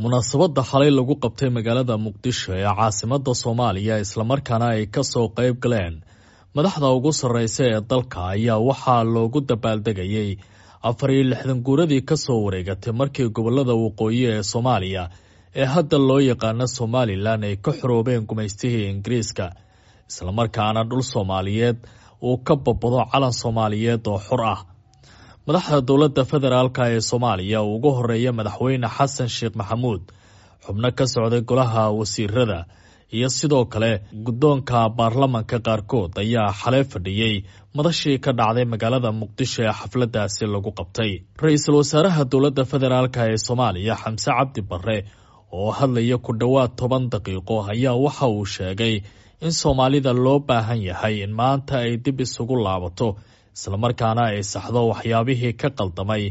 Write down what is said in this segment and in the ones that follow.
Munaasabadda xalay lagu qabtay magaalada Muqdisho ee caasimadda Soomaaliya, islamarkaana ay kasoo qayb galeen madaxda ugu sarreysa ee dalka, ayaa waxaa loogu dabaaldegayay 64 guuradii kasoo wareegatay markii gobolada waqooyi ee Soomaaliya ee hadda loo yaqaano Somalilan ay ka xoroobeen gumaystihii Ingiriiska, islamarkaana dhul Soomaaliyeed uu ka babado calan Soomaaliyeed oo xor ah. Madaxda dowladda federaalka ee Soomaaliya, ugu horeeya Madaxweyne Xasan Sheekh Maxamuud, xubno ka socday golaha wasiirada iyo sidoo kale guddoonka baarlamanka qaarkood ayaa xalay fadhiyey madashii ka dhacday magaalada Muqdisho ee xafladaasi lagu qabtay. Ra-iisul wasaaraha dowladda federaalka ee Soomaaliya Xamse Cabdi Barre oo hadlaya ku dhowaad 10 daqiiqo ayaa waxa uu sheegay in Soomaalida loo baahan yahay in maanta ay dib isugu laabato, islamarkaana ay saxdo waxyaabihii ka qaldamay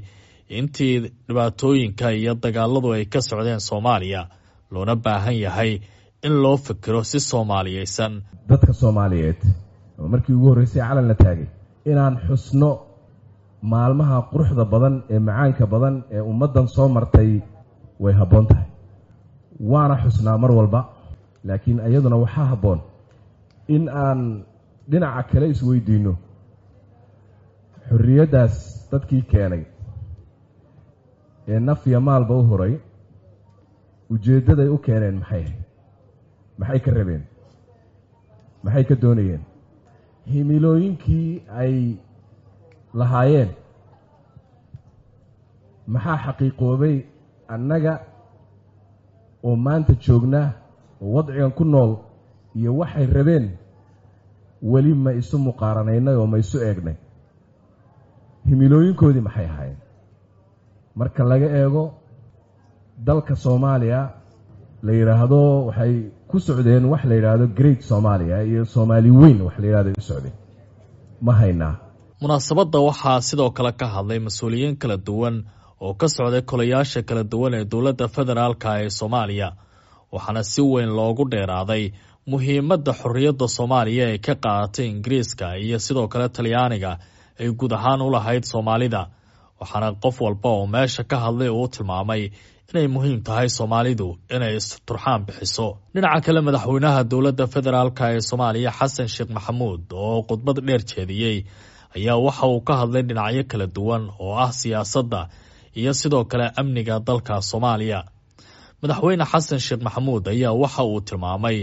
intii dhibaatooyinka iyo dagaaladu ay ka socdeen Soomaaliya, loona baahan yahay in loo fikiro si soomaaliyeysan. Dadka Soomaaliyeed markii ugu horreysay calan la taagay, inaan xusno maalmaha quruxda badan ee macaanka badan ee ummaddan soo martay way habboon tahay, waana xusnaa mar walba. Laakiin iyaduna waxaa habboon in aan dhinaca kale isweydiinno: xorriyaddaas dadkii keenay ee naf iyo maalba u huray, ujeeddaday u keeneen maxay ahayd? Maxay ka rabeen? Maxay ka doonayeen? Himilooyinkii ay lahaayeen maxaa xaqiiqoobay? Annaga oo maanta joognaa oo wadcigan ku nool iyo waxay rabeen weli ma isu muqaaranaynay oo ma isu eegnay? Himilooyinkoodii maxay ahaayeen? Marka laga eego dalka Soomaaliya la yidhaahdo, waxay ku socdeen wax la yidhaahdo Great Soomaaliya iyo Soomaali weyn wax la yidhahdo ay u socdeen, ma haynaa? Munaasabadda waxaa sidoo kale ka hadlay mas-uuliyiin kala duwan oo ka socday kolayaasha kala duwan ee dowladda federaalka ee Soomaaliya, waxaana si weyn loogu dheeraaday muhiimadda xorriyadda Soomaaliya ay ka qaadatay Ingiriiska iyo sidoo kale Talyaaniga ay guud ahaan u lahayd Soomaalida. Waxaana qof walba oo meesha ka hadlay uu tilmaamay inay muhiim tahay Soomaalidu inay isturxaan bixiso. Dhinaca kale, madaxweynaha dowladda federaalka ee Soomaaliya Xasan Sheekh Maxamuud oo khudbad dheer jeediyey ayaa waxa uu ka hadlay dhinacyo kala duwan oo ah siyaasadda iyo sidoo kale amniga dalka Soomaaliya. Madaxweyne Xasan Sheekh Maxamuud ayaa waxa uu tilmaamay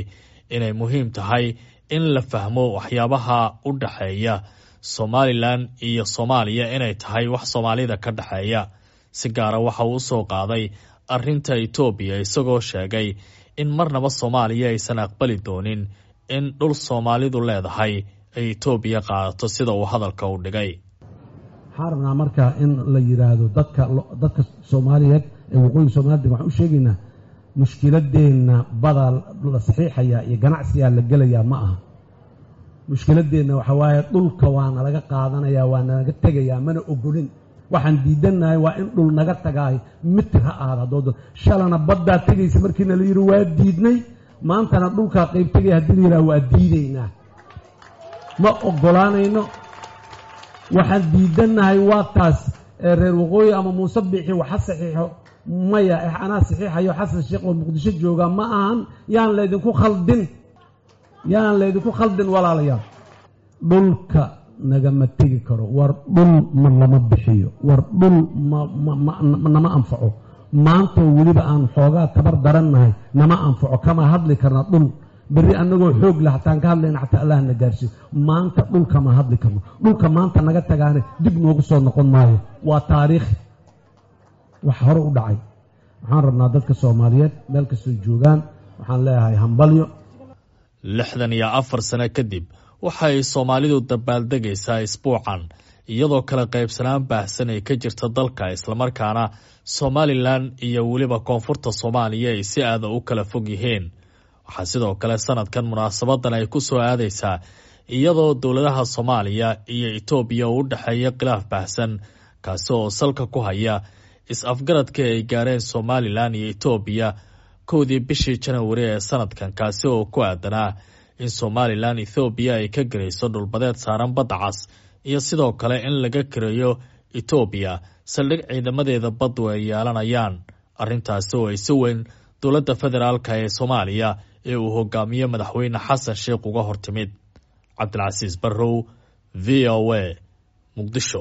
inay muhiim tahay in la fahmo waxyaabaha u dhexeeya Somalilan iyo Soomaaliya inay tahay wax Soomaalida ka dhexeeya. Si gaara waxa uu usoo qaaday arrinta Itoobiya, isagoo sheegay in marnaba Soomaaliya aysan aqbali doonin in dhul Soomaalidu leedahay ay Itoobiya qaadato, sida uu hadalka u dhigay. Waxaan rabnaa marka in la yidhaahdo dadka Soomaaliyeed ee waqooyiga Soomaalida, waxaan u sheegaynaa mushkiladeenna badaa la saxiixayaa iyo ganacsigaa la gelayaa ma aha. Mushkiladeenna waxa waaye dhulka waa nalaga qaadanayaa, waa nalaga tegayaa, mana ogolin. Waxaan diidannahay waa in dhul naga tagaayo, mitir ha ahaada haddooda. Shalana baddaa tegaysa markiina la yidhi waa diidnay, maantana dhulkaa qayb tegaya haddii la yidhaha waa diidaynaa, ma ogolaanayno. Waxaan diidannahay waa taas. Reer waqooyi ama Muuse Biixi waxa saxiixo, maya, anaa saxiixayo Xasan Sheekh oo Muqdisho jooga ma ahan. Yaan laydinku khaldin, yaan laydinku khaldin, walaalayaal. Dhulka nagama tegi karo. War dhul ma lama bixiyo, war dhul ma nama anfaco. Maantoo weliba aan xoogaa tabar darannahay nama anfaco, kama hadli karna dhul. Berri annagoo xoog leh hataan ka hadlayna, xataa Allah na gaarsiiyo. Maanta dhulkama hadli karno. Dhulka maanta naga tagaane dib noogu soo noqon maayo, waa taariikh wax hore u dhacay. Waxaan rabnaa dadka Soomaaliyeed meel kastoo joogaan, waxaan leeyahay hambalyo. 64 sano kadib waxay Soomaalidu dabaaldegaysaa isbuucan, iyadoo kala qaybsanaan baahsan ay ka jirta dalka, islamarkaana Somalilan iyo weliba koonfurta Soomaaliya ay si aada u kala fog yihiin. Waxaa sidoo kale sanadkan munaasabadan ay ku soo aadaysaa iyadoo dowladaha Soomaaliya iyo Itoobiya uu u dhexeeya khilaaf baahsan, kaasi oo salka ku haya is-afgaradka ay gaareen Somalilan iyo Itoobiya 1dii bishii Janawari ee sanadkan, kaasi oo ku aadanaa in Somalilan Ethoobiya ay ka garayso dhulbadeed saaran badda cas iyo sidoo kale in laga kareeyo Itoobiya saldhig ciidamadeeda baddu ay yeelanayaan. Arrintaasi oo ay si weyn dowladda federaalka ee Soomaaliya ee uu hogaamiye madaxweyne Xasan Sheikh uga hortimid. Cabdilcasiis Barrow, V O A, Muqdisho.